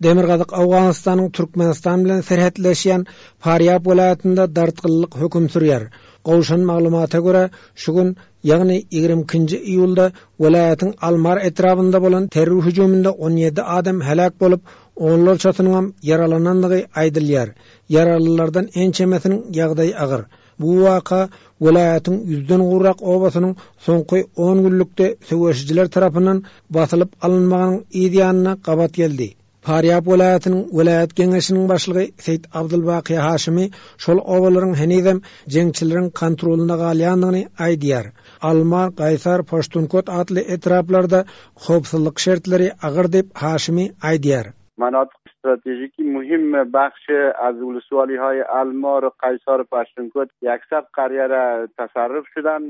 Demirgazyk Owganystanyň Türkmenistan bilen serhetleşýän Farýab welaýatynda dartgynlylyk höküm sürýär. Gowşan maglumata görä, şu gün, ýagny 22-nji iýulda welaýatyň Almar etrabynda bolan terror hüjüminde 17 adam heläk bolup, onlarçasynyňam ýaralanandygy aýdylýar. Ýaralylardan ençemesiniň ýagdaýy agyr. Bu waka welaýatyň ýüzden gowrak obasynyň soňky on günlükde söweşijiler tarapyndan basylyp alynmagynyň yz ýanyna gabat geldi. Farýab welaýatynyň welaýat geňeşiniň başlygy Seýit Abdulbaky Haşymy şol obalaryň henizem jeňçileriň kontrolynda galýandygyny aýdýar. Almar, Gaýsar, Paştunkot atly etraplarda howpsuzlyk şertleri agyr diýip, Haşymy aýdýar. مناطق استراتژیکی مهم بخش از ولسوالی های المار و قیصار و پشتونکوت یکصد قریه را تصرف شدن.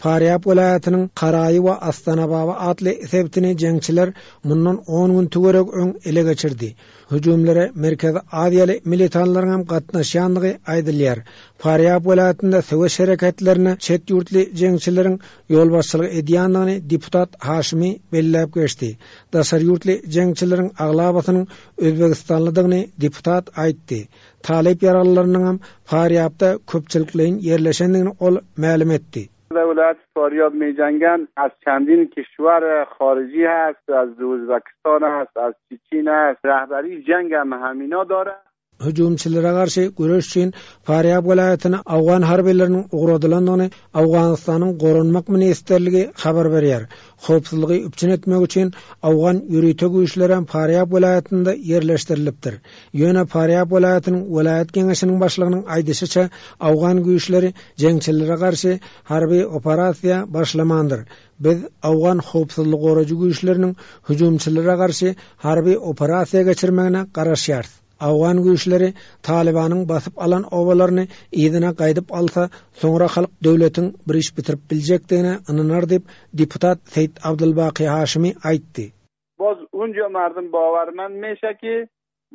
Farýab welaýatynyň Karaýy we Astanababa atly sebitini jeňçiler mundan on gün töweregi öň ele geçirdi. Hüjümlere Merkezi Aziýaly militanlaryň hem gatnaşýandygy aýdylýar. Farýab welaýatynda söweş hereketlerine çet ýurtly jeňçileriň ýolbaşçylyk edýändigini deputat Haşymy belläp geçdi. Daşary ýurtly jeňçileriň aglabasynyň özbegistanlydygyny deputat aýtdy. Talyp ýaralylarynyňam Farýabda köpçülikleýin ýerleşendigini ol mälim etdi. ولایت فاریاب میجنگن از چندین کشور خارجی هست از ازبکستان است از چین است رهبری جنگ هم همینا داره Hüjümçilere garşy göreş üçin Farýab welaýatyna owgan harbylarynyň ugradylandygyny Owganystanyň Goranmak ministrligi habar berýär. Howpsuzlygy üpjün etmek üçin owgan ýörite güýçlerem Farýab welaýatynda ýerleşdirilipdir. Ýöne Farýab welaýatynyň welaýat geňeşiniň başlygynyň aýdyşyça, owgan güýçleri jeňçilere garşy harby operasiýa başlamandyr. Biz owgan howpsuzlygy goraýjy güýçleriniň hüjümçilere garşy harby operasiýa geçirmegine garaşýarys. Owgan güýçleri Talybanyň basyp alan obalaryny yzyna gaýdyp alsa, soňra halk döwletiň bir iş bitirip biljekdigine ynanar diýip, deputat Seýit Abdulbaky Haşymy aýtdy. Boz unja mardum bawarmand meşe ki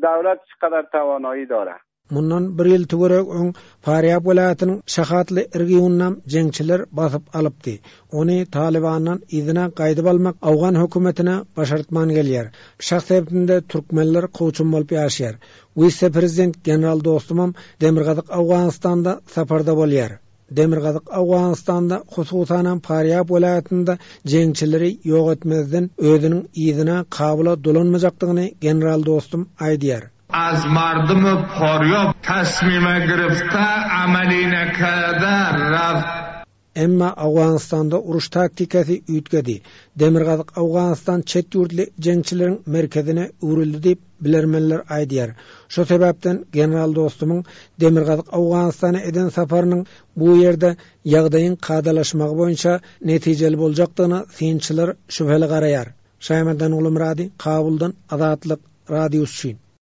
dawlat çykadar tawanoýi dore. Mundan bir ýyl töweregi öň Farýab welaýatynyň Şahatly regionynam jeňçiler basyp alypdy. Ony Talybandan yzyna gaýdyp almak owgan hökümetine başartman gelýär. Şah sebitinde türkmenler kowçum bolup ýaşaýar. Wise-prezident general Dostumam Demirgazyk Owganystanda saparda bolýar. Demirgazyk Owganystanda, hususanam Farýab welaýatynda jeňçileri ýok etmezden özüniň yzyna Kabula dolanmajakdygyny general Dostum aýdýar. Az mardum Farýab tasmime girifte amali nekerde raft. Emma Owganystanda uruş taktikasy üýtgedi. Demirgazyk Owganystan çet ýurtly jeňçileriň merkezine öwrüldi diýip, bilermenler aýdýar. Şo sebäpden general Dostumyň Demirgazyk Owganystana eden saparynyň bu ýerde ýagdaýyň kadalaşmagy boýunça netijeli boljakdygyna synçylar şübheli garaýar. Şaýmerdan Gulumyrady, Kabuldan, Azatlyk Radiosy üçin.